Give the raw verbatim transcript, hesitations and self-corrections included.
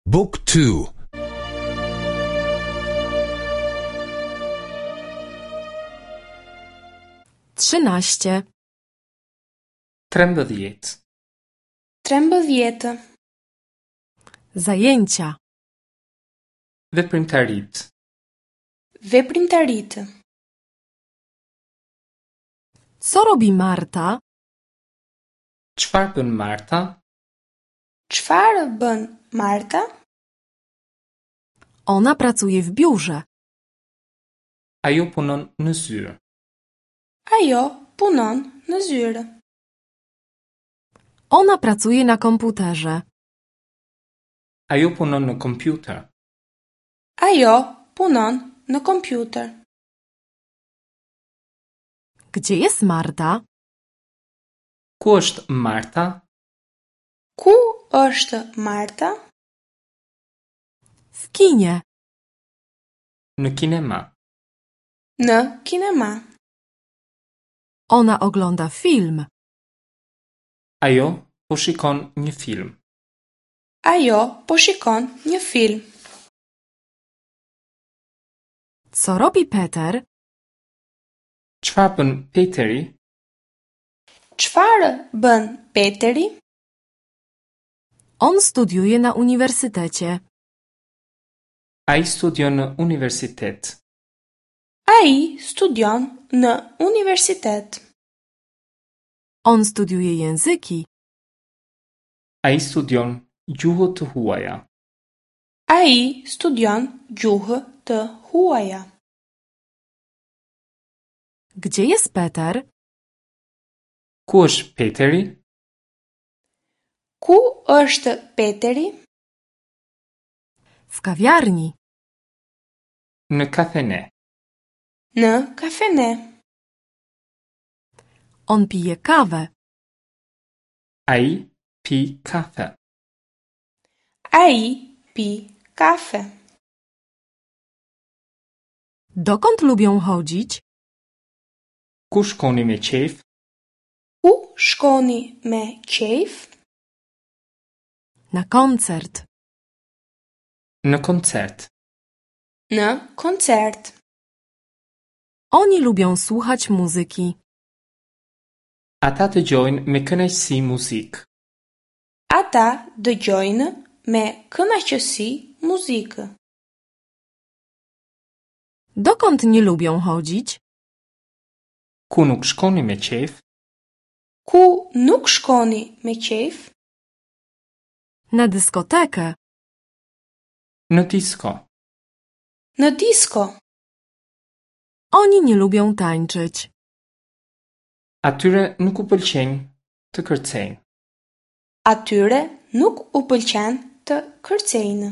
Book two. Trzynaście. Trembëdhjetë. Trembëdhjetë. Zajęcia. Veprimtaritë. Veprimtaritë. Co robi Marta? Çfarë bën Marta? Çfarë bën Marta? Ona pracuje w biurze. Ajo punon në zyrë. Ajo punon në zyrë. Ona pracuje na komputerze. Ajo punon në kompjuter. Ajo punon në kompjuter. Gdzie jest Marta? Ku është Marta? Ku është Marta? W kinie. Në kinema. Në kinema. Ona ogląda film. Ajo po shikon një film. Ajo po shikon një film. Co robi Peter? Çfarë bën Peteri? Çfarë bën Peteri? On studiuje na uniwersytecie. Ai studion në universitet. Ai studion në universitet. On studiuje języki. Ai studion gjuhë të huaja. Ai studion gjuhë të huaja. Gdzie jest Peter? Ku është Peteri? Ku është Peteri? W kawiarni. Në kafene. Në kafene. On pije kawę. Ai pi kafe. Ai pi kafe. Dokąd lubią chodzić? Ku shkoni me qejf? Ku shkoni me qejf? Na koncert. Në koncert. Në koncert. Oni lubią słuchać muzyki. Ata dëgjojnë me kënaqësi muzikë. Ata dëgjojnë me kënaqësi muzikë. Dokąd nie lubią chodzić? Ku nuk shkoni me qejf? Ku nuk shkoni me qejf? Na dyskotekę. Në disko. Në disko. Oni nie lubią tańczyć. Atyre nuk u pëlqen të kërcejnë. Atyre nuk u pëlqen të kërcejnë.